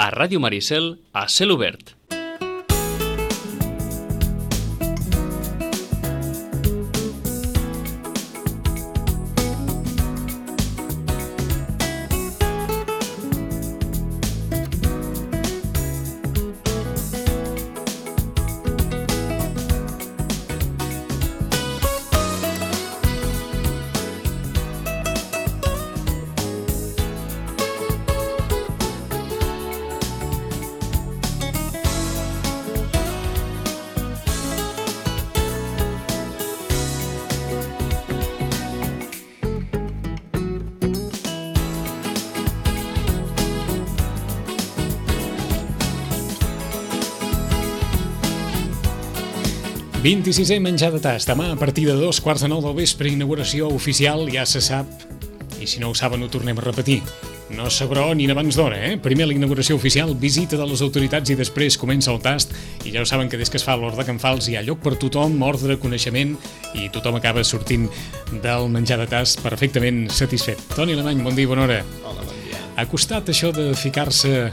a Ràdio Maricel, a Cel Obert. – 26è menjar de tast. Demà, a partir de 2:15 del vespre, inauguració oficial, ja se sap, i si no ho saben ho tornem a repetir. No sabrò ni abans d'hora, Primer la inauguració oficial, visita de les autoritats i després comença el tast, i ja ho saben que des que es fa l'Hort de Can Fals hi ha lloc per tothom, ordre, coneixement, i tothom acaba sortint del menjar de tast perfectament satisfet. Toni Alemany, bon dia i bona hora. Hola, bon dia. Ha costat això de ficar-se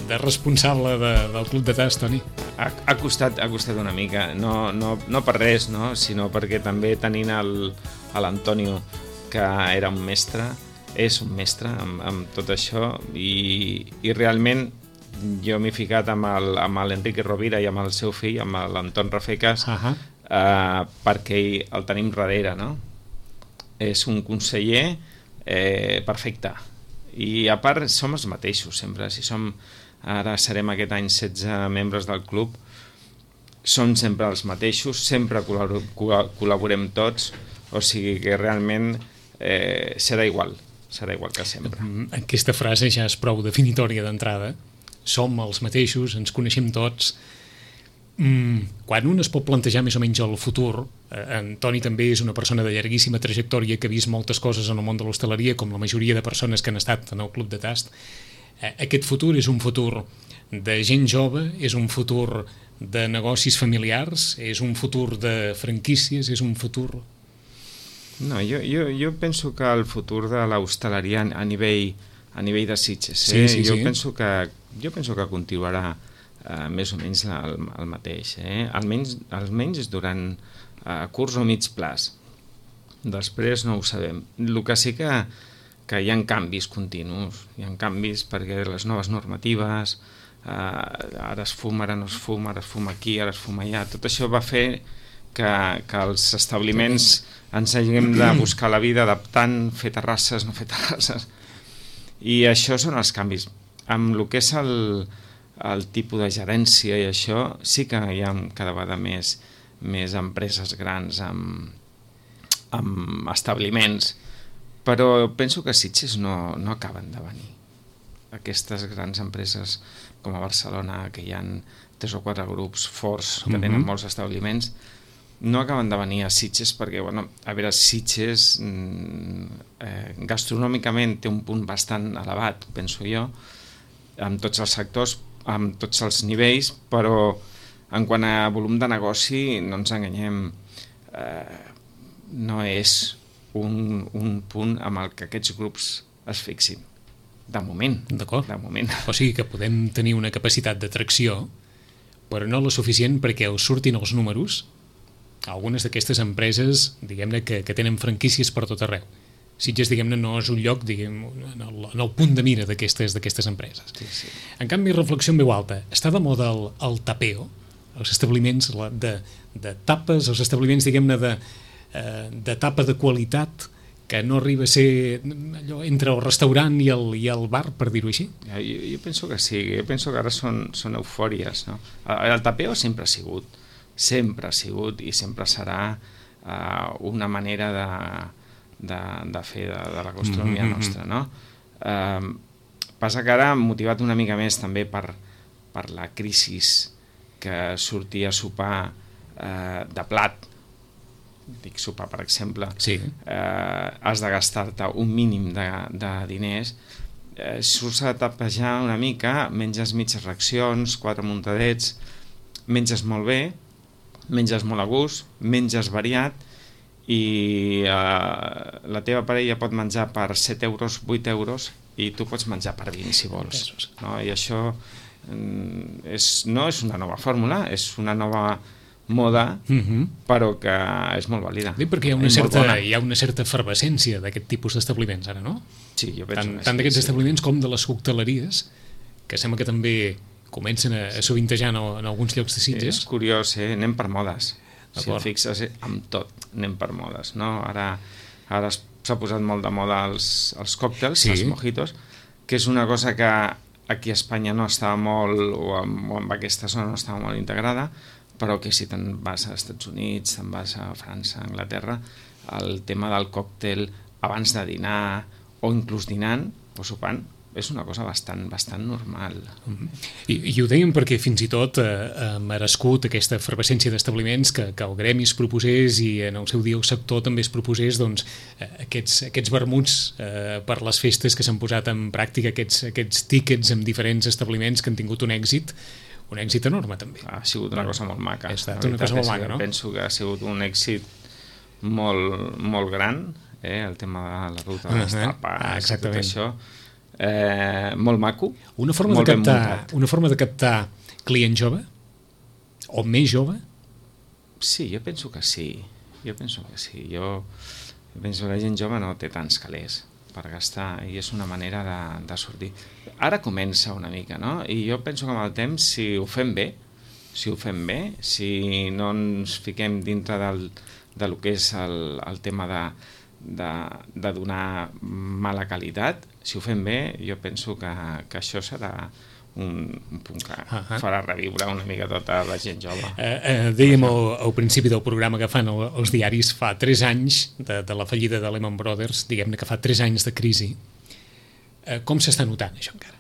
de responsable del Club de Tast, Toni? Ha costat una mica, no per res, no? Sinó perquè també tenint l'Antonio, que era un mestre, és un mestre amb tot això, i realment jo m'he ficat amb l'Enrique Rovira i amb el seu fill, amb l'Anton Rafecas, perquè el tenim darrere, no? És un conseller perfecte, i a part som els mateixos sempre, ara serem aquest any 16 membres del club, són sempre els mateixos, sempre col·laborem tots, o sigui que realment serà igual que sempre. Aquesta frase ja és prou definitòria d'entrada, som els mateixos, ens coneixem tots. Quan un es pot plantejar més o menys el futur, en Toni també és una persona de llarguíssima trajectòria que ha vist moltes coses en el món de l'hostaleria, com la majoria de persones que han estat en el Club de Tast. Aquest futur és un futur de gent jove, és un futur de negocis familiars, és un futur de franquícies, és un futur... No, jo penso que el futur de l'hostaleria a nivell de Sitges, jo penso que continuarà més o menys el mateix, almenys durant curts o mig plaç. Després no ho sabem. El que sí que hi ha canvis continus, hi ha canvis perquè les noves normatives, ara es fuma, ara no es fuma, ara es fuma aquí, ara es fuma allà, tot això va fer que els establiments ens haguem de buscar la vida adaptant, fer terrasses, no fer terrasses, i això són els canvis. Amb el que és el tipus de gerència i això, sí que hi ha cada vegada més empreses grans amb establiments, però penso que a Sitges no acaben de venir. Aquestes grans empreses com a Barcelona, que hi ha 3 o 4 grups forts que tenen molts establiments, no acaben de venir a Sitges perquè, a veure, Sitges gastronòmicament té un punt bastant elevat, penso jo, amb tots els sectors, amb tots els nivells, però en quant a volum de negoci, no ens enganyem, no és un punt amb el que aquests grups es fixin. De moment. D'acord. O sigui que podem tenir una capacitat d'atracció, però no la suficient perquè us surtin els números. Algunes d'aquestes empreses, diguem-ne, que tenen franquícies per tot arreu. Sitges, diguem-ne, no és un lloc, en el punt de mira d'aquestes empreses. Sí. En canvi, reflexió en veu alta. Està de moda el tapeo, els establiments de tapes, els establiments, diguem-ne, de tapa de qualitat, que no arriba a ser allò entre el restaurant i el bar, per dir-ho així? Jo penso que sí, jo penso que ara són eufòries, no? El tapeo sempre ha sigut i sempre serà una manera de fer de la gastronomia nostra, no? Passa que ara, motivat una mica més també per la crisi que sortia a sopar de plat, dic sopar per exemple, has de gastar-te un mínim de diners, surts a tapejar una mica, menges mitges racions, 4 muntadets, menges molt bé, menges molt a gust, menges variat, i la teva parella pot menjar per 7 euros, 8 euros, i tu pots menjar per 20 si vols, no? I això no és una nova fórmula, és una nova moda, però que és molt vàlida. Perquè hi ha una certa efervescència d'aquest tipus d'establiments ara, no? Sí, jo penso que sí. Tant d'aquests establiments com de les cocteleries, que sembla que també comencen a sovintejar en alguns llocs de Sitges. És curiós, anem per modes. Si et fixes, amb tot anem per modes, no? Ara s'ha posat molt de moda els còctels, els mojitos, que és una cosa que aquí a Espanya no estava molt, o en aquesta zona no estava molt integrada, però que si te'n vas als Estats Units, te'n vas a França, a Anglaterra, el tema del còctel abans de dinar, o inclús dinant o sopant, és una cosa bastant normal. I ho dèiem perquè fins i tot ha merescut aquesta efervescència d'establiments que el gremi es proposés, i en el seu dia el sector també es proposés, doncs, aquests vermuts per les festes que s'han posat en pràctica, aquests tíquets amb diferents establiments que han tingut un èxit enorme també. Ha sigut una cosa molt maca. Ha estat una cosa molt maca, no? Penso que ha sigut un èxit molt gran, el tema de la ruta de les tapes, tot això. Molt maco, una forma de captar client jove o més jove? Sí, jo penso que sí. Jo penso que la gent jove no té tants calés per gastar, i és una manera de sortir. Ara comença una mica, no? I jo penso que amb el temps, si ho fem bé, si no ens fiquem dintre del que és el tema de donar mala qualitat, si ho fem bé, jo penso que això serà un punt que farà reviure una mica tota la gent jove. Dèiem al principi del programa que fan els diaris fa 3 anys de la fallida de Lehman Brothers, diguem-ne que fa 3 anys de crisi. Com s'està notant això encara?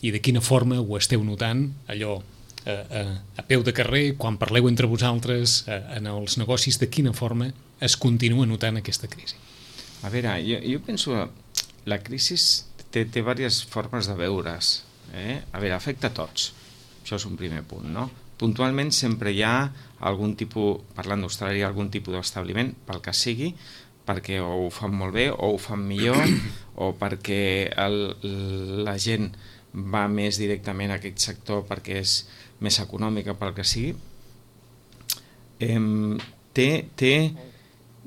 I de quina forma ho esteu notant, allò a peu de carrer, quan parleu entre vosaltres, en els negocis, de quina forma es continua notant aquesta crisi? A veure, jo penso que la crisi té diverses formes de veure's. A veure, afecta a tots. Això és un primer punt, no? Puntualment sempre hi ha algun tipus, parlant d'hostaleria, algun tipus d'establiment, pel que sigui, perquè o ho fan molt bé o ho fan millor, o perquè la gent va més directament a aquest sector perquè és més econòmica, pel que sigui. Té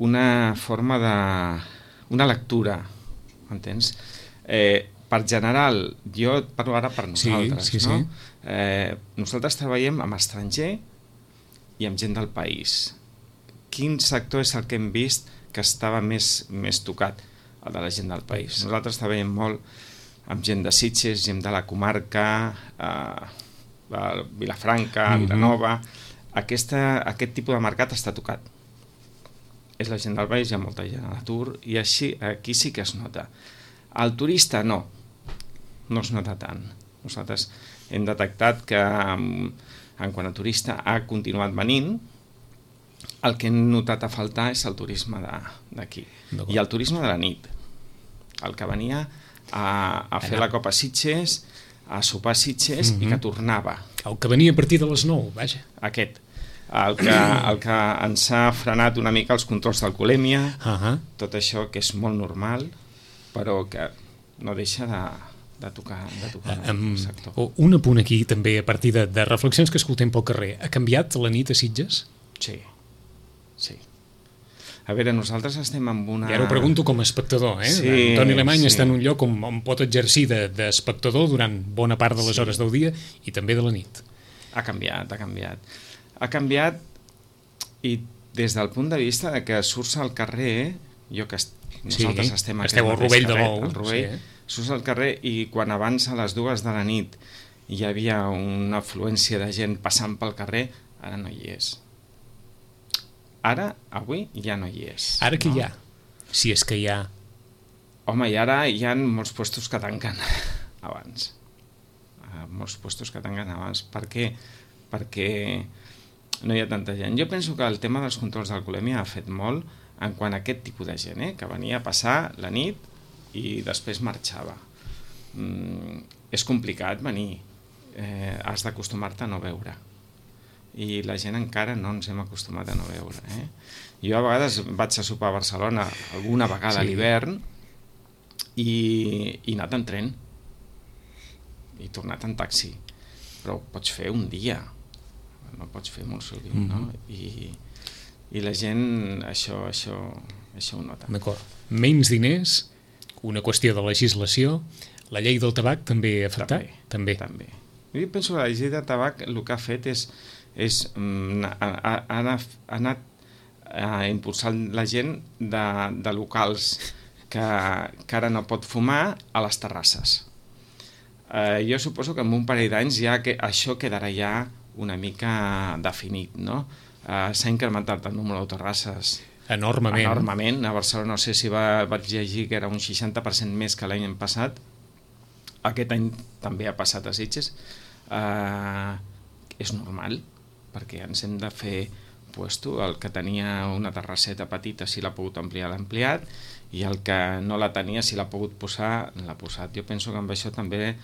una forma una lectura, entens? Per general, jo parlo ara per nosaltres, no? Nosaltres treballem amb estranger i amb gent del país. Quin sector és el que hem vist que estava més tocat? El de la gent del país. Nosaltres treballem molt amb gent de Sitges, gent de la comarca, Vilafranca, Vilanova. Aquest tipus de mercat està tocat. És la gent del país, hi ha molta gent a l'atur, i aquí sí que es nota. El turista no es nota tant. Nosaltres hem detectat que en quant a turista ha continuat venint. El que hem notat a faltar és el turisme d'aquí i el turisme de la nit, el que venia a fer la copa a Sitges, a sopar a Sitges, i que tornava, el que venia a partir de les 9, vaja, aquest, el que ens ha frenat una mica els controls d'alcoholèmia, tot això que és molt normal, però que no deixa de tocar el sector. Un apunt aquí també a partir de reflexions que escoltem pel carrer. Ha canviat la nit a Sitges? Sí. A veure, nosaltres estem amb una... I ara ho pregunto com a espectador, Sí, Antoni Alemany està en un lloc on pot exercir d'espectador durant bona part de les hores del dia i també de la nit. Ha canviat. Ha canviat, i des del punt de vista de que surts al carrer, nosaltres estem aquí esteu al Rovell de l'Ou, surts al carrer, i quan abans a les 2 de la nit hi havia una afluència de gent passant pel carrer, ara no hi és. Avui ja no hi és. Ara què hi ha? Si és que hi ha... Home, i ara hi ha molts puestos que tanquen abans. Per què? Perquè no hi ha tanta gent. Jo penso que el tema dels controls d'alcoholèmia ha fet molt en quant a aquest tipus de gent, que venia a passar la nit i després marxava. És complicat venir, has d'acostumar-te a no beure. i la gent encara no ens hem acostumat a no veure. Jo a vegades vaig a sopar a Barcelona alguna vegada a l'hivern i he anat en tren i tornat en taxi, però ho pots fer un dia, no pots fer molt sovint, no? I la gent això ho nota. D'acord. Menys diners, una qüestió de legislació, la llei del tabac també ha afectat? També. Jo penso que la llei del tabac el que ha fet ha anat impulsant la gent de locals que ara no pot fumar a les terrasses. Jo suposo que en un parell d'anys ja que això quedarà ja una mica definit, no? S'ha incrementat el número de terrasses enormement. A Barcelona no sé si vaig llegir que era un 60% més que l'any passat. Aquest any també ha passat a Sitges. És normal, perquè ens hem de fer puesto. El que tenia una terrasseta petita, si l'ha pogut ampliar, l'ha ampliat, i el que no la tenia, si l'ha pogut posar, l'ha posat. Jo penso que amb això també,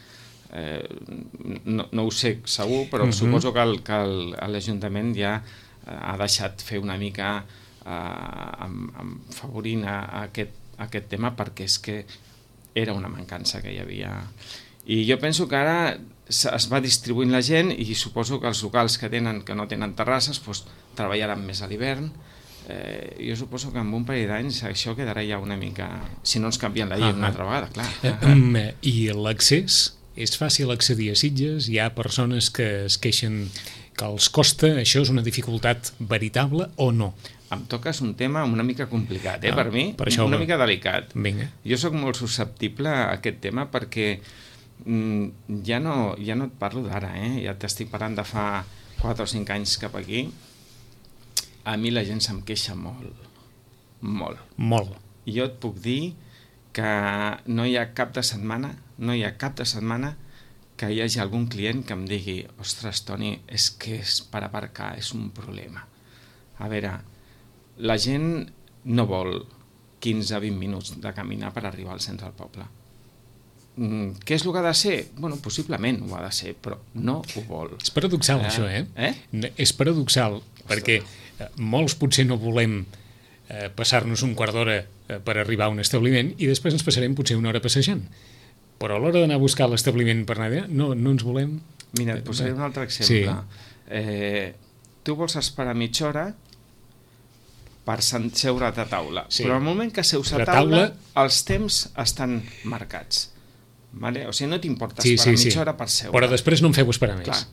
no ho sé segur, però suposo que l'Ajuntament ja ha deixat fer una mica favorint aquest tema, perquè és que era una mancança que hi havia. I jo penso que ara es va distribuint la gent i suposo que els locals que no tenen terrasses treballaran més a l'hivern. Jo suposo que en un parell d'anys això quedarà ja una mica, si no ens canvien la llei una altra vegada, clar. I l'accés? És fàcil accedir a Sitges? Hi ha persones que es queixen que els costa? Això és una dificultat veritable o no? Em toques un tema una mica complicat, per mi, una mica delicat. Vinga. Jo sóc molt susceptible a aquest tema perquè ja no et parlo d'ara, ja t'estic parlant de fa 4 o 5 anys cap aquí. A mi la gent se'm queixa molt. I jo et puc dir que no hi ha cap de setmana que hi hagi algun client que em digui: ostres, Toni, és que per aparcar és un problema. A veure, la gent no vol 15-20 minuts de caminar per arribar al centre del poble. Què és el que ha de ser? Bueno, possiblement ho ha de ser, però no ho vol. És paradoxal, això, És paradoxal, perquè molts potser no volem passar-nos un quart d'hora per arribar a un establiment i després ens passarem potser una hora passejant. Però a l'hora d'anar a buscar l'establiment per anar allà, no ens volem... Mira, et posaré un altre exemple. Tu vols esperar mitja hora per seure a taula, però al moment que seus a taula, els temps estan marcats. Vale? O sigui, no t'importa esperar mitja hora per seure. Però després no em feu esperar més. Clar.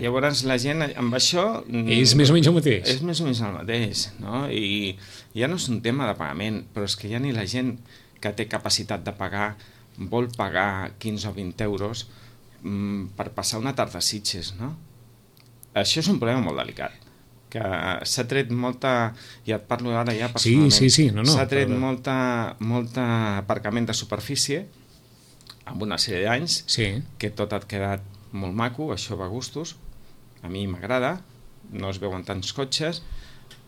Llavors la gent amb això... És més o menys el mateix. És més o menys el mateix, no? I ja no és un tema de pagament, però és que ja ni la gent que té capacitat de pagar vol pagar 15 o 20 euros per passar una tarda a Sitges, no? Això és un problema molt delicat, que s'ha tret molta... Ja et parlo ara ja personalment. Sí. S'ha tret molta aparcament de superfície amb una sèrie d'anys, que tot ha quedat molt maco, això va a gustos, a mi m'agrada, no es veuen tants cotxes,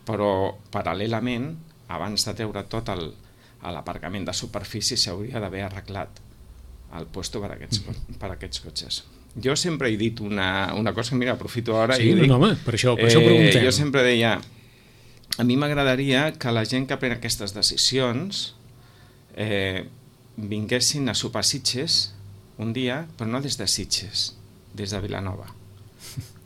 però paral·lelament, abans de treure tot l'aparcament de superfície, s'hauria d'haver arreglat el puesto per aquests cotxes. Jo sempre he dit una cosa, mira, aprofito ara i dic... per això ho preguntem. Jo sempre deia, a mi m'agradaria que la gent que pren aquestes decisions vinguessin a sopar a Sitges un dia, però no des de Sitges, des de Vilanova.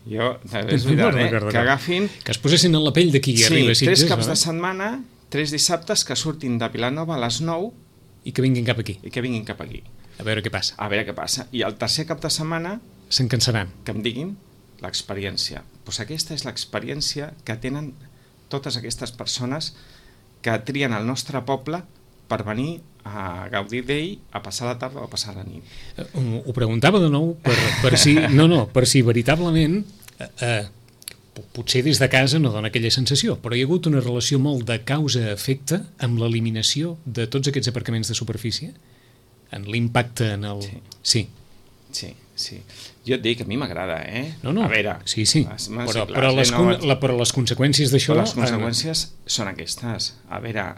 Jo, és veritat, que agafin... Que es posessin en la pell de qui arriba a Sitges. 3 caps de setmana, 3 dissabtes que surtin de Vilanova a les 9 i que vinguin cap aquí. A veure què passa. I el tercer cap de setmana... Se'n cansaran. Que em diguin l'experiència. Doncs aquesta és l'experiència que tenen totes aquestes persones que trien el nostre poble per venir a gaudir d'ell, a passar la tarda o a passar la nit. Ho preguntava de nou per si veritablement potser des de casa no dona aquella sensació, però hi ha hagut una relació molt de causa-efecte amb l'eliminació de tots aquests aparcaments de superfície, en l'impacte en el... Sí. Jo et dic, a mi m'agrada, No. A veure... Sí. Però les conseqüències d'això... Les conseqüències són aquestes. A veure,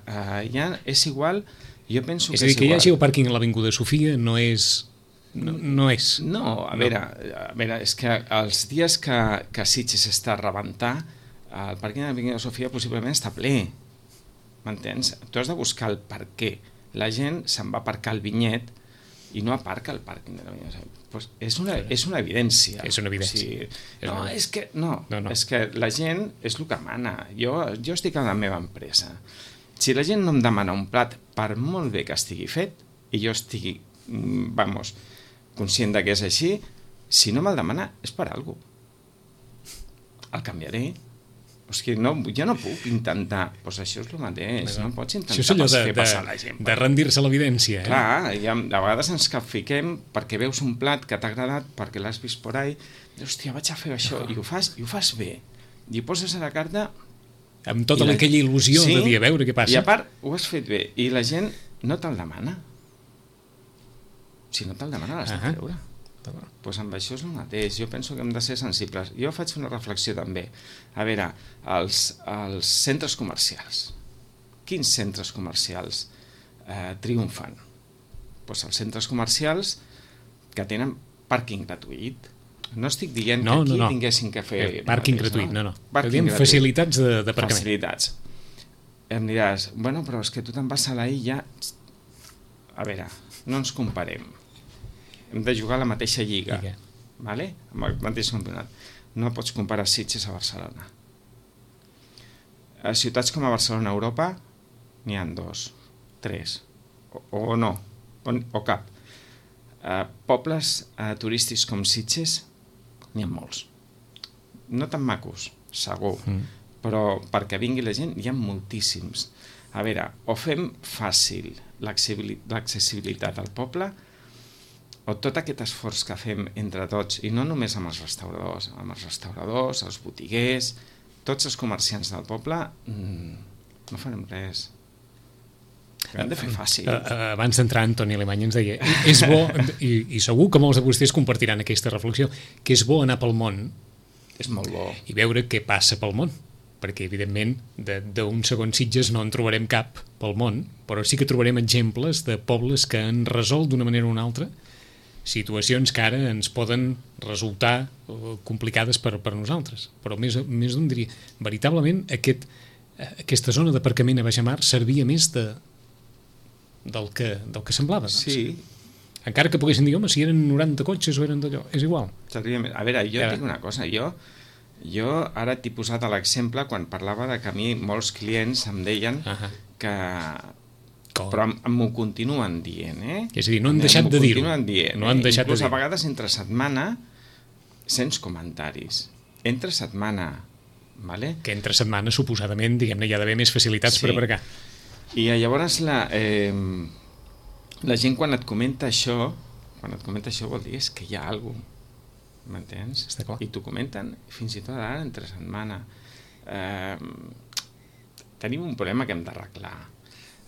ja és igual... Jo penso és a dir, que hi hagi el pàrquing a l'Avinguda Sofia no és no és. No, a veure, és que els dies que Sitges està a rebentar, el pàrquing de la Vinguda Sofia possiblement està ple. M'entens? Tu has de buscar el per què. La gent se'n va aparcar al Vinyet i no aparca al pàrquing de la Vinguda Sofia. Pues és una evidència. És una evidència. O sigui, és que la gent és el que mana. Jo estic a la meva empresa. Si la gent no em demana un plat, per molt bé que estigui fet, i jo estigui, conscient que és així, si no me'l demana és per alguna cosa. El canviaré. O sigui, jo no puc intentar... Doncs això és el mateix, no pots intentar fer passar la gent. De rendir-se a l'evidència. Clar, de vegades ens capfiquem perquè veus un plat que t'ha agradat, perquè l'has vist por ahí, i hòstia, vaig a fer això, i ho fas bé. I ho poses a la carta... Amb tota aquella il·lusió de dir, a veure què passa. I a part, ho has fet bé, i la gent no te'l demana. Si no te'l demana, l'has de treure. Doncs amb això és el mateix. Jo penso que hem de ser sensibles. Jo faig una reflexió també. A veure, els centres comercials. Quins centres comercials triomfen? Doncs els centres comercials que tenen pàrquing gratuït. No estic dient que aquí tinguessin que fer... Pàrquing gratuït, no. Facilitats d'aparcament. Facilitats. Em diràs, bueno, però és que tu te'n vas a la illa... A veure, no ens comparem. Hem de jugar a la mateixa lliga, vale? Amb el mateix campionat. No pots comparar Sitges a Barcelona. A ciutats com a Barcelona a Europa n'hi ha 2, 3, o no, o cap. Pobles turístics com Sitges n'hi ha molts. No tan macos, segur, però perquè vingui la gent hi ha moltíssims. A veure, o fem fàcil l'accessibilitat al poble, o tot aquest esforç que fem entre tots, i no només amb els restauradors, els botiguers, tots els comerciants del poble, no farem res. Hem de fer fàcil. Abans d'entrar, Antoni Alemany ens deia, és bo, i segur que molts de vostès compartiran aquesta reflexió, que és bo anar pel món. És molt bo. I veure què passa pel món. Perquè, evidentment, d'un segon Sitges no en trobarem cap pel món, però sí que trobarem exemples de pobles que han resolt d'una manera o una altra situacions que ara ens poden resultar complicades per nosaltres. Però més d'un diria, veritablement aquesta zona d'aparcament a baixamar servia més del que semblava. Doncs. Sí. Encara que poguessin dir, home, si eren 90 cotxes o eren d'allò, és igual. A veure, jo et dic una cosa, jo ara t'he posat l'exemple quan parlava de que a mi molts clients em deien que... Però m'ho continuen dient, És a dir, no han deixat de dir-ho. No han deixat de dir-ho. Inclús a vegades entre setmana sents comentaris. Entre setmana, vale? Que entre setmana, suposadament, diguem-ne, hi ha d'haver més facilitats per aparcar. I llavors la gent quan et comenta això vol dir és que hi ha alguna cosa, m'entens? Està clar. I t'ho comenten fins i tot ara entre setmana. Tenim un problema que hem d'arreglar.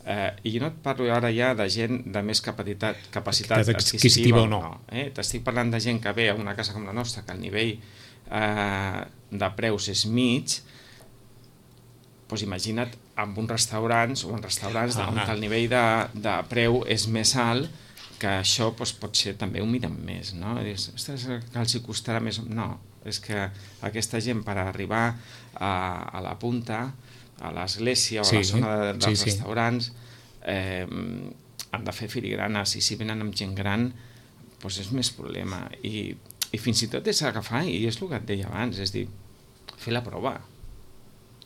I jo no et parlo ara ja de gent de més capacitat adquisitiva o no. T'estic parlant de gent que ve a una casa com la nostra, que el nivell de preus és mig, doncs imagina't amb uns restaurants o en restaurants on el nivell de preu és més alt, que això pot ser també un miren més, no? Ostres, que els hi costarà més... No, és que aquesta gent per arribar a la punta, a l'església o a la zona dels restaurants, han de fer filigranes, i si venen amb gent gran doncs és més problema, i fins i tot és agafar, i és el que et deia abans, és dir, fer la prova.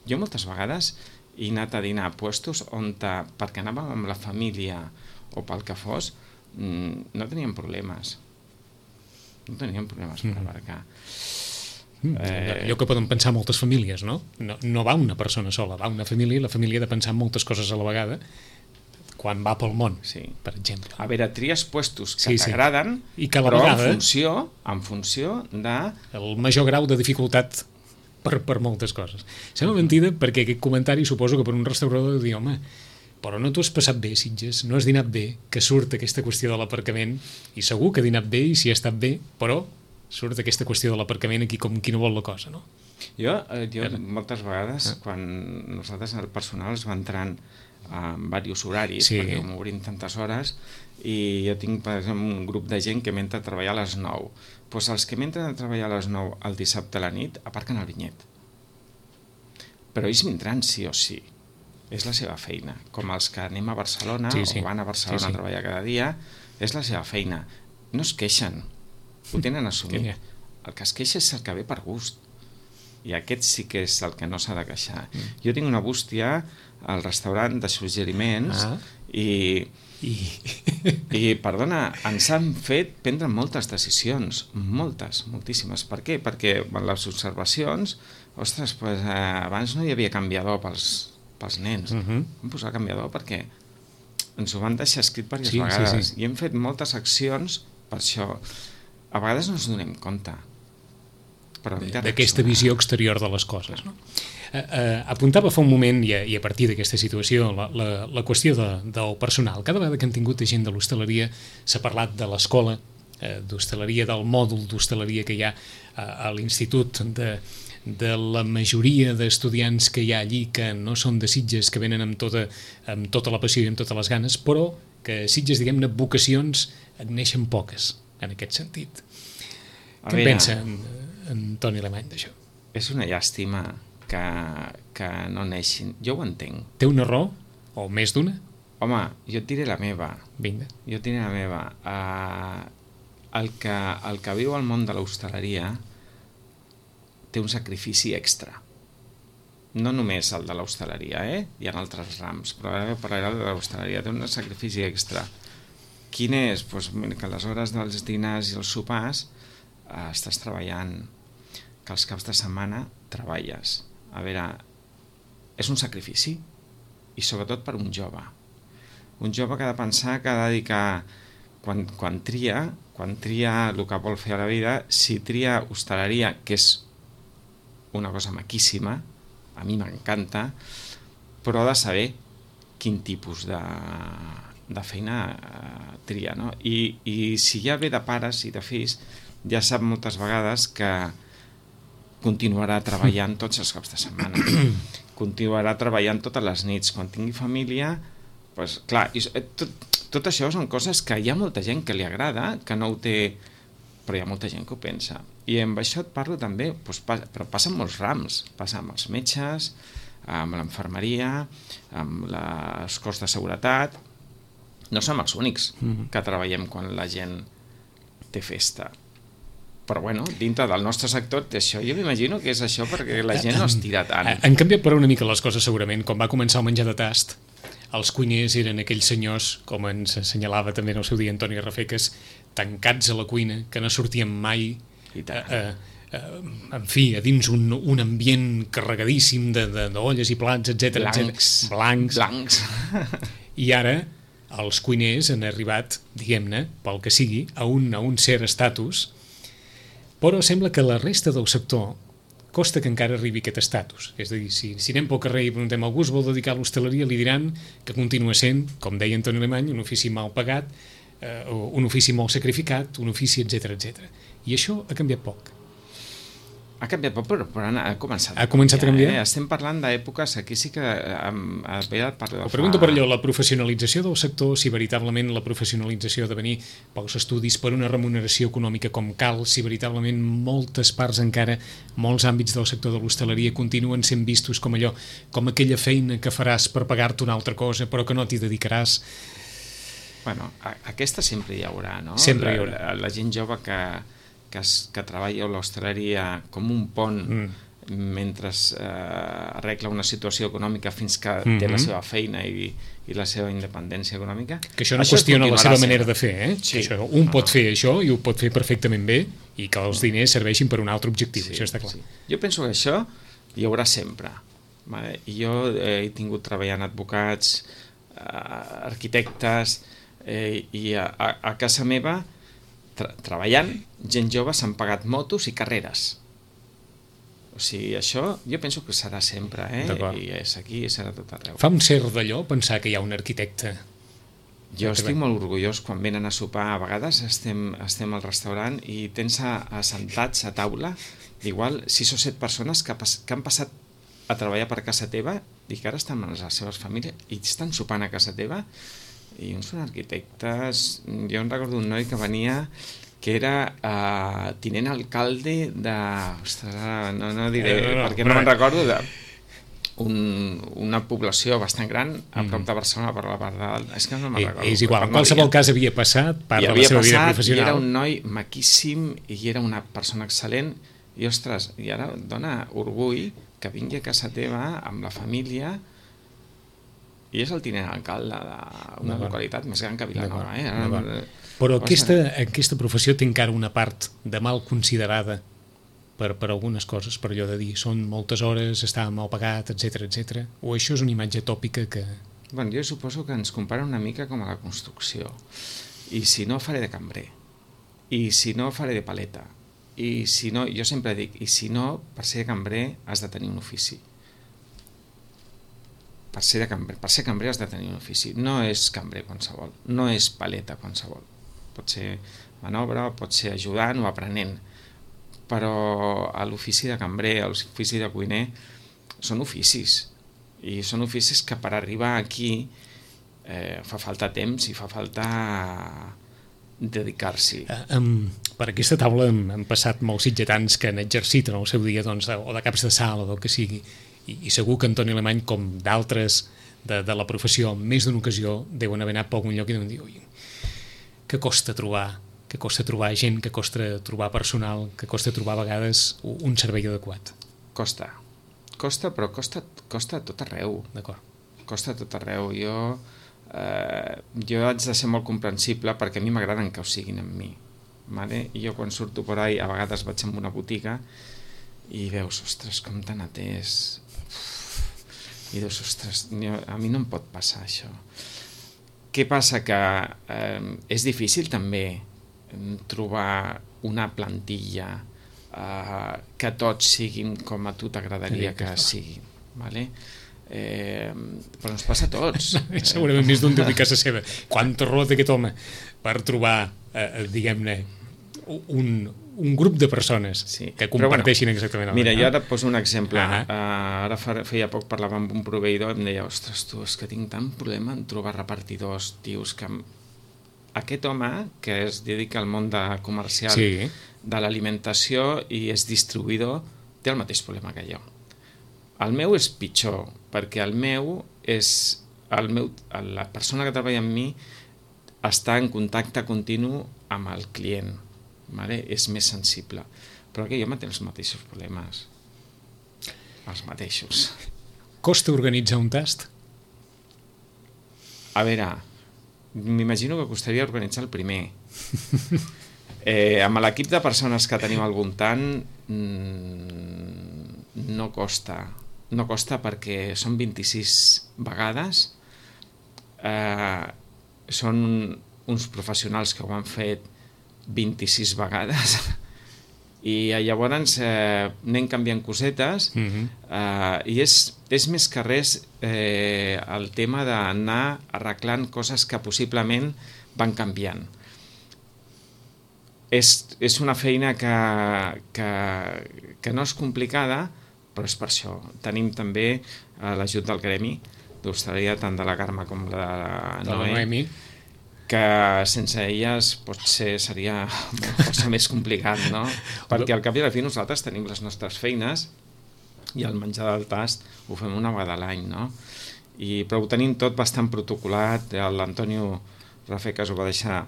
Jo moltes vegades he anat a dinar a puestos on, perquè anàvem amb la família o pel que fos, no teníem problemes per aparcar. Allò que poden pensar moltes famílies, no? No va una persona sola, va una família, i la família ha de pensar en moltes coses a la vegada quan va pel món, per exemple. A veure, tries puestos que t'agraden, però en funció de... el major grau de dificultat per moltes coses. Sembla mentida perquè aquest comentari suposo que per un restaurador de dir, home, però no t'ho has passat bé, Sitges, no has dinat bé, que surt aquesta qüestió de l'aparcament, i segur que ha dinat bé i si ha estat bé, però surt aquesta qüestió de l'aparcament aquí com qui no vol la cosa, no? Jo moltes vegades, quan nosaltres el personal es va entrant en diversos horaris, perquè m'obrim tantes hores, i jo tinc, per exemple, un grup de gent que m'entra a treballar a les 9. Doncs els que m'entren a treballar a les 9 el dissabte a la nit aparquen al vinyet. Però ells vindran sí o sí. És la seva feina. Com els que anem a Barcelona o van a Barcelona a treballar cada dia, és la seva feina. No es queixen, ho tenen assumit. El que es queixa és el que ve per gust. I aquest sí que és el que no s'ha de queixar. Jo tinc una bústia al restaurant de suggeriments i perdona, ens han fet prendre moltes decisions, moltíssimes. Per què? Perquè en les observacions, ostres, pues, abans no hi havia canviador pels nens. Vam posar canviador perquè ens ho van deixar escrit diverses vegades. I hem fet moltes accions per això. A vegades no ens donem compte. D'aquesta visió exterior de les coses, no? Apuntava fa un moment, i a partir d'aquesta situació, la qüestió del personal. Cada vegada que hem tingut gent de l'hostaleria s'ha parlat de l'escola d'hostaleria, del mòdul d'hostaleria que hi ha a l'institut, de la majoria d'estudiants que hi ha allí que no són de Sitges, que venen amb tota la passió i amb totes les ganes, però que a Sitges, diguem-ne, vocacions en neixen poques, en aquest sentit. Què en pensa en Toni Alemany d'això? És una llàstima que no neixin. Jo ho entenc. Té una raó? O més d'una? Home, jo et diré la meva. Vinga. Jo et diré la meva. El que viu al món de l'hostaleria té un sacrifici extra. No només el de l'hostaleria, hi ha altres rams, però ara parlaré de l'hostaleria. Té un sacrifici extra. Quin és? Doncs que a les hores dels dinars i els sopars estàs treballant, que els caps de setmana treballes. A veure, és un sacrifici, i sobretot per un jove. Un jove que ha de pensar, que ha de dedicar, quan tria el que vol fer a la vida, si tria hostaleria, que és una cosa maquíssima, a mi m'encanta, però ha de saber quin tipus de feina tria, no? I si ja ve de pares i de fills, ja sap moltes vegades que continuarà treballant tots els caps de setmana, continuarà treballant totes les nits. Quan tingui família, doncs, clar, tot això són coses que hi ha molta gent que li agrada, que no ho té, però hi ha molta gent que ho pensa. I amb això et parlo també, doncs, però passa en molts rams, passa amb els metges, amb l'infermeria, amb les cos de seguretat. No som els únics que treballem quan la gent té festa. Però bueno, dintre del nostre sector té això. Jo m'imagino que és això perquè la gent no es tira tant. Han canviat per una mica les coses segurament. Quan va començar el menjar de tast, els cuiners eren aquells senyors, com ens assenyalava també en el seu dia Antoni Rafeques, tancats a la cuina, que no sortien mai, en fi, a dins un ambient carregadíssim d'olles i plats, etc. Blancs. I ara els cuiners han arribat, diguem-ne, pel que sigui, a un cert estatus, però sembla que la resta del sector costa que encara arribi aquest estatus. És a dir, si anem pel carrer i preguntem algú es vol dedicar a l'hostaleria, li diran que continua sent, com deia Antoni Alemany, un ofici mal pagat, un ofici molt sacrificat, un ofici, etc. I això ha canviat poc. Ha canviat poc, però ha començat a canviar. Estem parlant d'èpoques, aquí sí que Ho pregunto per allò, la professionalització del sector, si veritablement la professionalització ha de venir pels estudis per una remuneració econòmica com cal, si veritablement moltes parts encara, molts àmbits del sector de l'hostaleria continuen sent vistos com allò, com aquella feina que faràs per pagar-te una altra cosa, però que no t'hi dedicaràs. Bueno, aquesta sempre hi haurà, no? Sempre hi haurà. La gent jove que treballa a l'hostaleria com un pont mentre arregla una situació econòmica fins que té la seva feina i la seva independència econòmica. Que això no qüestiona la seva manera de fer, Sí. Pot fer això i ho pot fer perfectament bé i que els diners serveixin per un altre objectiu, això està clar. Sí. Jo penso que això hi haurà sempre. Vale? I jo he tingut treballant advocats, arquitectes, i a casa meva treballant, gent jove s'han pagat motos i carreres. O sigui, això jo penso que serà sempre, i és aquí i serà tot arreu. Fa un cert d'allò pensar que hi ha un arquitecte. Jo estic molt orgullós quan venen a sopar. A vegades estem al restaurant i tens assentats a taula, igual 6 o 7 persones que han passat a treballar per casa teva i que ara estan amb les seves famílies i estan sopant a casa teva, i uns són arquitectes. Jo em recordo un noi que venia que era tinent alcalde de... Ostres, no diré, perquè no me'n recordo, una població bastant gran a prop de Barcelona, per la part dalt. És que no me'n recordo. És igual, en qualsevol cas havia passat part de la seva vida professional. I era un noi maquíssim i era una persona excel·lent i, ostres, i ara dona orgull que vingui a casa teva amb la família i és el tinent alcalde d'una localitat més gran que Vilanova. Però aquesta professió té encara una part de mal considerada per algunes coses, per allò de dir són moltes hores, està mal pagat, etc. O això és una imatge tòpica que... Bueno, jo suposo que ens compara una mica com a la construcció. I si no, faré de cambrer. I si no, faré de paleta. I si no, jo sempre dic, i si no, per ser cambrer has de tenir un ofici. Per ser cambrer has de tenir un ofici. No és cambrer qualsevol, no és paleta qualsevol. Pot ser manobra, pot ser ajudant o aprenent. Però l'ofici de cambrer, l'ofici de cuiner, són oficis. I són oficis que per arribar aquí fa falta temps i fa falta dedicar-s'hi. Per aquesta taula han passat molts sitgetans que han exercit en el seu dia o de caps de sala o del que sigui, i segur que Antoni Alemany, com d'altres de la professió, en més d'una ocasió deuen haver anat per algun lloc i deuen dir que costa trobar gent, que costa trobar personal, que costa trobar a vegades un servei adequat. Costa, però costa a tot arreu. D'acord. Costa a tot arreu. Jo haig de ser molt comprensible perquè a mi m'agraden que ho siguin amb mi. Vale? I jo quan surto per ahí, a vegades vaig a una botiga i veus, ostres, com t'han atès. I dius, ostres, a mi no em pot passar això. Què passa? Que és difícil també trobar una plantilla que tots siguin com a tu t'agradaria que siguin. Vale? Però ens passa a tots. Segurament més d'un deu dir casa seva. Quanta raó té aquest home per trobar, diguem-ne, un grup de persones que comparteixin exactament el mira, jo ara et poso un exemple. Ara feia poc parlava amb un proveïdor i em deia, ostres, tu, és que tinc tant problema en trobar repartidors, tios, que aquest home que es dedica al món comercial de l'alimentació i és distribuïdor, té el mateix problema que jo. El meu és pitjor, perquè la persona que treballa amb mi està en contacte continu amb el client. Vale? És més sensible, però aquell home té els mateixos problemes, els mateixos. Costa organitzar un tast? A veure, m'imagino que costaria organitzar el primer. Amb l'equip de persones que tenim al voltant no costa perquè són 26 vegades, són uns professionals que ho han fet 26 vegades i llavors anem canviant cosetes i és més que res el tema d'anar arreglant coses que possiblement van canviant. És una feina que no és complicada, però és per això. Tenim també l'ajut del gremi d'hostaleria, tant de la Carme com de la Noemi, que sense elles potser seria força més complicat, no? Perquè al cap i a la fi nosaltres tenim les nostres feines i el menjar del tast ho fem una vegada a l'any, no? Però ho tenim tot bastant protocolat. L'Antonio Rafecas ho va deixar,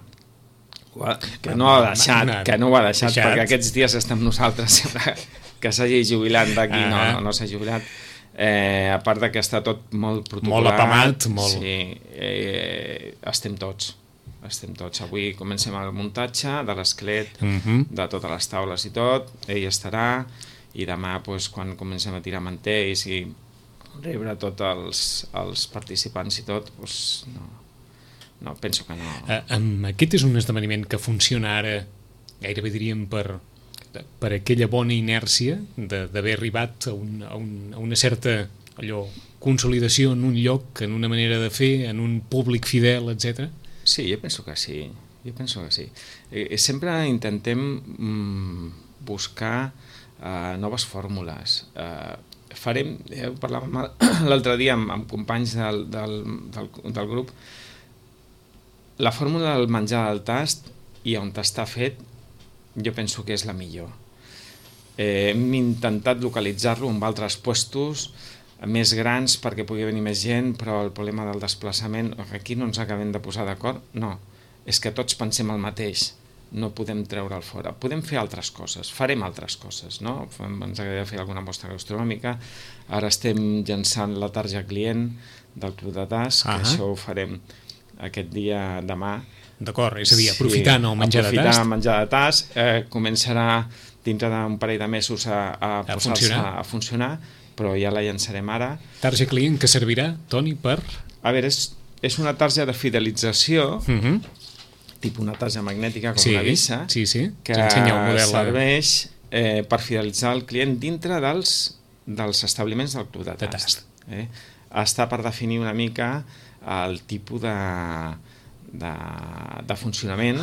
que no ho ha deixat perquè aquests dies està amb nosaltres, que s'hagi jubilat d'aquí, no s'ha jubilat. A part que està tot molt protocolat, molt apamat, sí, estem tots. Avui comencem el muntatge de l'esquelet, de totes les taules i tot, ell estarà, i demà quan comencem a tirar mantells i rebre tots els participants i tot, no, penso que no. Aquest és un esdeveniment que funciona ara, gairebé diríem per aquella bona inèrcia d'haver arribat a una certa consolidació en un lloc, en una manera de fer, en un públic fidel, etc. Sí, jo penso que sí. Sempre intentem buscar noves fórmules. farem, ho parlàvem l'altre dia amb companys del grup, la fórmula del menjar al tast i on està fet, jo penso que és la millor. Hem intentat localitzar-lo amb altres puestos més grans perquè pugui venir més gent, però el problema del desplaçament, aquí no ens acabem de posar d'acord, no, és que tots pensem el mateix, no podem treure'l fora. Podem fer altres coses, farem altres coses, no? Ens agradaria fer alguna mostra gastronòmica, ara estem llançant la tarja client del Club de Tas, que això ho farem aquest dia demà. D'acord, és a dir, aprofitant el menjar de tast. Aprofitant el menjar de tast, començarà dintre d'un parell de mesos a posar-se a funcionar, però ja la llançarem ara. Tarja client que servirà, Toni, per... A veure, és una tarja de fidelització, tipus una tarja magnètica com una visa, que serveix per fidelitzar el client dintre dels establiments del Club de Tast. Està per definir una mica el tipus de funcionament,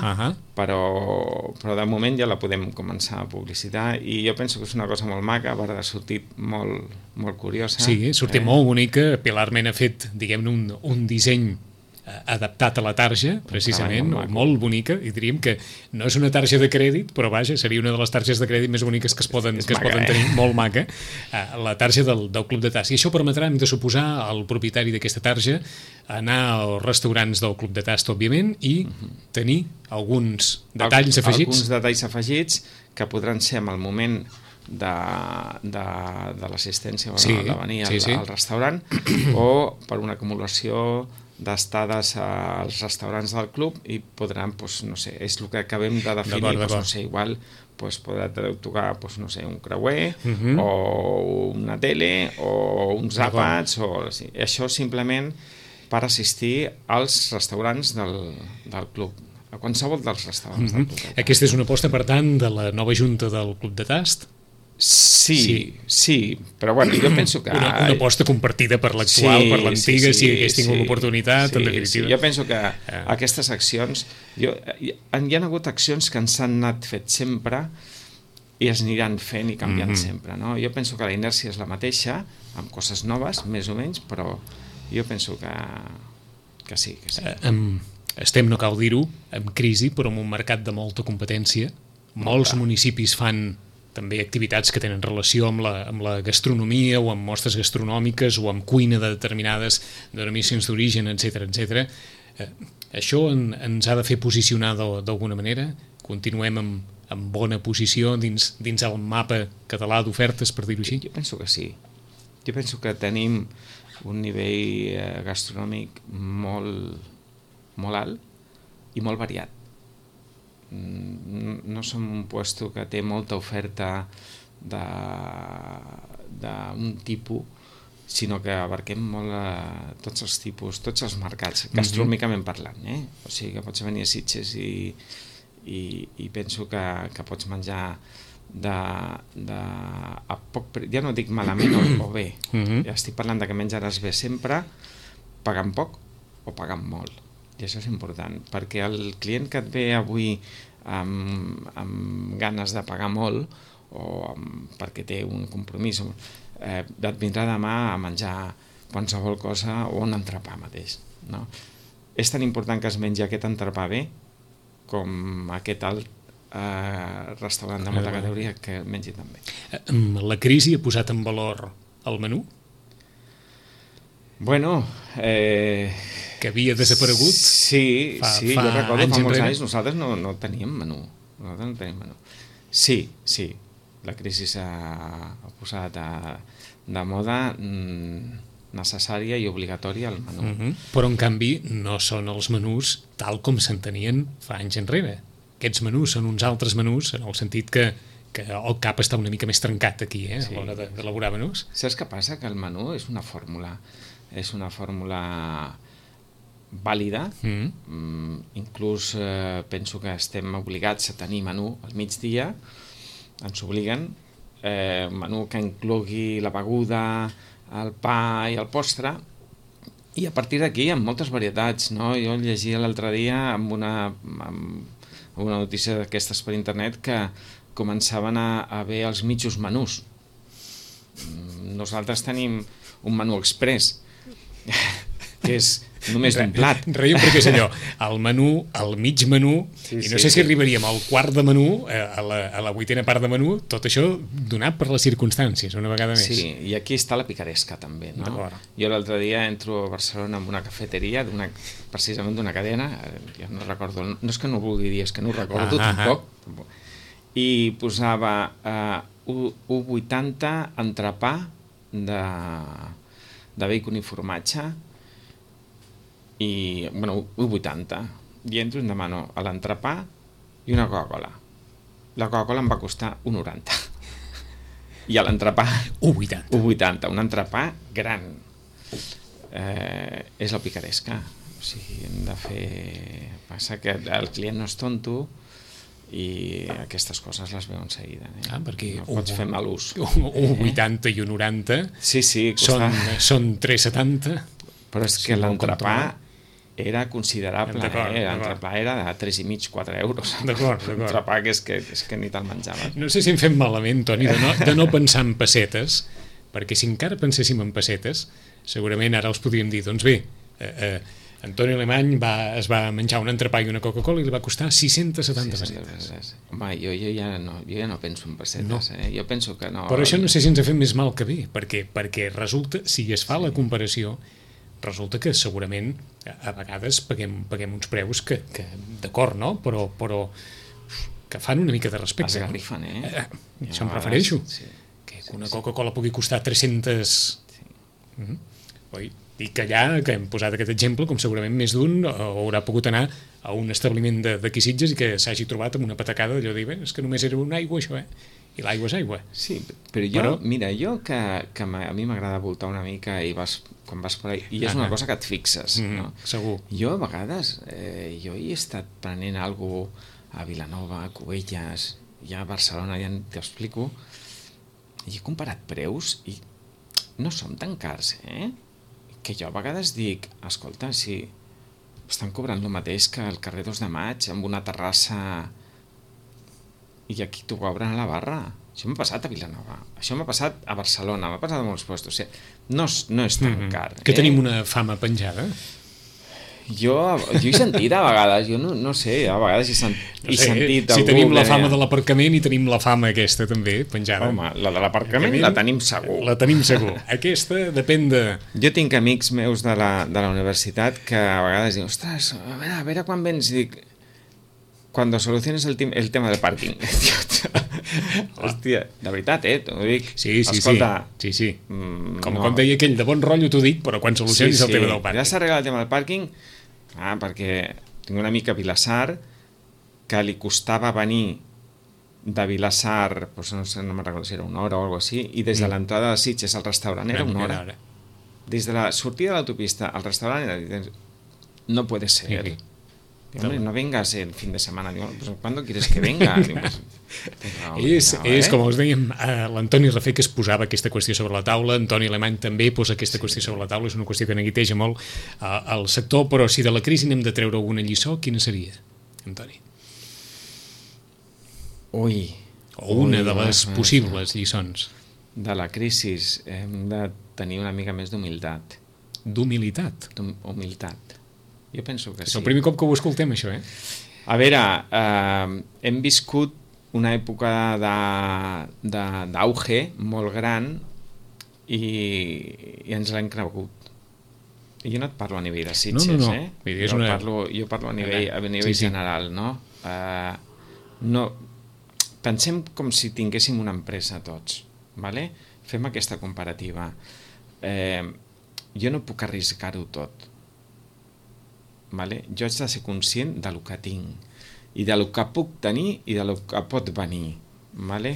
però de moment ja la podem començar a publicitar i jo penso que és una cosa molt maca, ha sortit molt curiosa. Sí, sortit molt bonica, Pilarment ha fet, diguem-ne, un disseny adaptat a la tarja, precisament, molt bonica, i diríem que no és una tarja de crèdit, però vaja, seria una de les targes de crèdit més boniques que es poden tenir, molt maca, la tarja del Club de Tast. I això permetrà, hem de suposar, al propietari d'aquesta tarja anar als restaurants del Club de Tast, òbviament, i tenir alguns detalls afegits. Alguns detalls afegits que podran ser en el moment de l'assistència de venir al restaurant o per una acumulació d'estades als restaurants del club i podran, no sé, és el que acabem de definir, no sé, igual podrà tocar, no sé, un creuer o una tele o uns àpats, això simplement per assistir als restaurants del club, a qualsevol dels restaurants del club. Aquesta és una aposta, per tant, de la nova junta del Club de Tast? Sí, però bueno, jo penso que... Una aposta compartida per l'actual, per l'antiga, si hagués tingut l'oportunitat, en definitiva. Jo penso que aquestes accions... Hi ha hagut accions que ens han anat fet sempre i es aniran fent i canviant sempre, no? Jo penso que la inèrcia és la mateixa, amb coses noves, més o menys, però jo penso que sí. Estem, no cal dir-ho, en crisi, però en un mercat de molta competència. Molts municipis fan també activitats que tenen relació amb la gastronomia o amb mostres gastronòmiques o amb cuina de determinades denominacions d'origen, etc. Això ens ha de fer posicionar d'alguna manera? Continuem en bona posició dins el mapa català d'ofertes, per dir-ho així? Jo penso que sí. Jo penso que tenim un nivell gastronòmic molt alt i molt variat. No som un puesto que té molta oferta d'un tipus, sinó que abarquem molt tots els tipus, tots els mercats, gastronòmicament parlant, o sigui que pots venir a Sitges i penso que pots menjar a poc preu, ja no dic malament o bé, ja estic parlant de que menjaràs bé sempre, pagant poc o pagant molt. I això és important, perquè el client que et ve avui amb ganes de pagar molt o perquè té un compromís, et vindrà demà a menjar qualsevol cosa o un entrepà mateix. No? És tan important que es mengi aquest entrepà bé com aquest alt restaurant de molta categoria que mengi també. La crisi ha posat en valor el menú? Bueno... que havia desaparegut? Sí, jo recordo fa molts anys nosaltres no teníem menú. Sí, la crisi s'ha posat de moda necessària i obligatòria el menú. Però en canvi no són els menús tal com s'entenien fa anys enrere. Aquests menús són uns altres menús en el sentit que el cap està una mica més trencat aquí a l'hora d'elaborar menús. Saps què passa? Que el menú és una fórmula vàlida, inclús penso que estem obligats a tenir menú al migdia, ens obliguen, menú que inclogui la beguda, el pa i el postre, i a partir d'aquí hi ha moltes varietats, no? Jo llegia l'altre dia amb una notícia d'aquestes per internet que començaven a haver els mitjos menús. Nosaltres tenim un menú express, que és només d'un plat. Reiem perquè és allò, el menú, el mig menú, i no sé si arribaríem al quart de menú, a la vuitena part de menú, tot això donat per les circumstàncies, una vegada més. Sí, i aquí està la picaresca també, no? Jo l'altre dia entro a Barcelona amb una cafeteria, precisament d'una cadena, ja no recordo, no és que no ho vulgui dir, és que no ho recordo tampoc, i posava 1,80 entrepà de bacon i formatge, i, bueno, 1,80, i entro i em demano l'entrepà i una Coca-Cola. La Coca-Cola em va costar 1,90. I a l'entrepà 1,80, un entrepà gran. És la picaresca. O sigui, hem de fer... Passa que el client no és tonto i aquestes coses les veu en seguida. Perquè no pots fer mal ús. 1,80 i 1,90 són 3,70. Però és que l'entrepà era considerable, l'entrepà era de 3,5-4 euros. D'acord. L'entrepà que és que ni te'l menjaves. No sé si em fem malament, Toni, de no pensar en pessetes, perquè si encara penséssim en pessetes, segurament ara els podríem dir, doncs bé, Antoni Alemany es va menjar un entrepà i una Coca-Cola i li va costar 670 pessetes. Home, jo ja no penso en pessetes, jo penso que no... Però això no sé si ens ha fet més mal que bé, perquè resulta, si es fa la comparació, resulta que segurament a vegades paguem uns preus que d'acord, no? Però que fan una mica de respecte. Esgarrifen, això em refereixo. Que una Coca-Cola pugui costar 300... Oi? I que allà, que hem posat aquest exemple, com segurament més d'un haurà pogut anar a un establiment d'aquí Sitges i que s'hagi trobat amb una patacada d'allò de dir, és que només era una aigua això, i l'aigua és aigua. Sí, però mira, que a mi m'agrada voltar una mica i quan vas per ahí, i és una cosa que et fixes, no? Segur. Jo a vegades, jo he estat prenent alguna cosa a Vilanova, a Cubelles, ja a Barcelona, ja t'ho explico, i he comparat preus i no són tan cars, que jo a vegades dic, escolta, si estan cobrant el mateix que el carrer 2 de Maig amb una terrassa i aquí t'ho cobren a la barra. Això m'ha passat a Vilanova, això m'ha passat a Barcelona, m'ha passat a molts llocs. O sigui, no és tan car. Que tenim una fama penjada? Jo he sentit a vegades, jo no sé, a vegades he sentit... Si tenim la fama de l'aparcament i tenim la fama aquesta també penjada. Home, la de l'aparcament la tenim segur. La tenim segur. Aquesta depèn de... Jo tinc amics meus de la universitat que a vegades diuen, ostres, a veure quan vens, i dic... Cuando soluciones el tema del parking. Hòstia, de veritat, t'ho dic. Sí. Escolta, sí. Com deia aquell, de bon rotllo t'ho dic, però quan solucionis el tema del pàrquing. Ja s'ha arreglat el tema del pàrquing, perquè tinc una mica a Vilassar que li costava venir de Vilassar, doncs no me'n recordo si era una hora o alguna cosa així, i des de l'entrada de Sitges al restaurant era una hora. Des de la sortida de l'autopista al restaurant era... No puede ser. Hombre, no vengas el fin de semana. Digo, pues, ¿cuándo quieres que venga? Digo, pues, és com us dèiem, l'Antoni Rafé que es posava aquesta qüestió sobre la taula, Antoni Alemany també posa aquesta qüestió sobre la taula, és una qüestió que neguiteja molt al sector, però si de la crisi n'hem de treure alguna lliçó, quina seria, Antoni? O una de les possibles lliçons. De la crisi hem de tenir una mica més d'humilitat. D'humilitat? Humilitat. Jo penso que sí. És el primer cop que ho escoltem, això, A veure, hem viscut una època d'auge molt gran i ens l'hem cregut. I jo no et parlo a nivell de Sitges, No. Jo parlo a nivell general, no? Pensem com si tinguéssim una empresa tots, vale? Fem aquesta comparativa. Jo no puc arriscar-ho tot. Vale? Jo haig de ser conscient del que tinc i del que puc tenir i del que pot venir. Vale?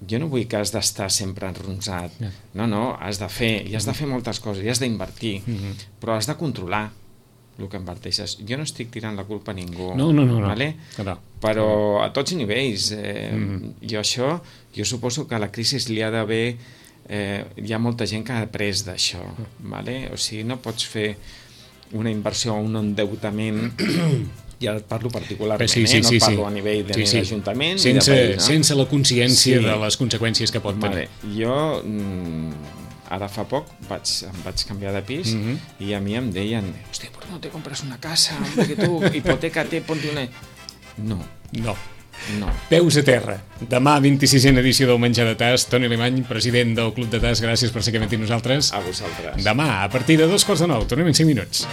Jo no vull que has d'estar sempre enronsat. No, has de fer, i has de fer moltes coses, i has d'invertir, però has de controlar el que inverteixes. Jo no estic tirant la culpa a ningú. No. Vale? Però a tots nivells. Jo suposo que a la crisi li ha d'haver... hi ha molta gent que ha après d'això. Vale? O sigui, no pots fer una inversió o un endeutament I ara et parlo particularment, sí, no et parlo a nivell d'Ajuntament ni de país. No? Sense la consciència de les conseqüències que pot tenir. Jo ara fa poc em vaig canviar de pis i a mi em deien, hòstia, ¿por qué no te compras una casa? Perquè tu, hipotècate, ponte una... No. Peus a terra. Demà, 26a edició del Menjar de Tas. Toni Alemany, president del Club de Tas, gràcies per ser aquí amb nosaltres. A vosaltres. Demà, a partir de 2:45, tornem en 5 minuts.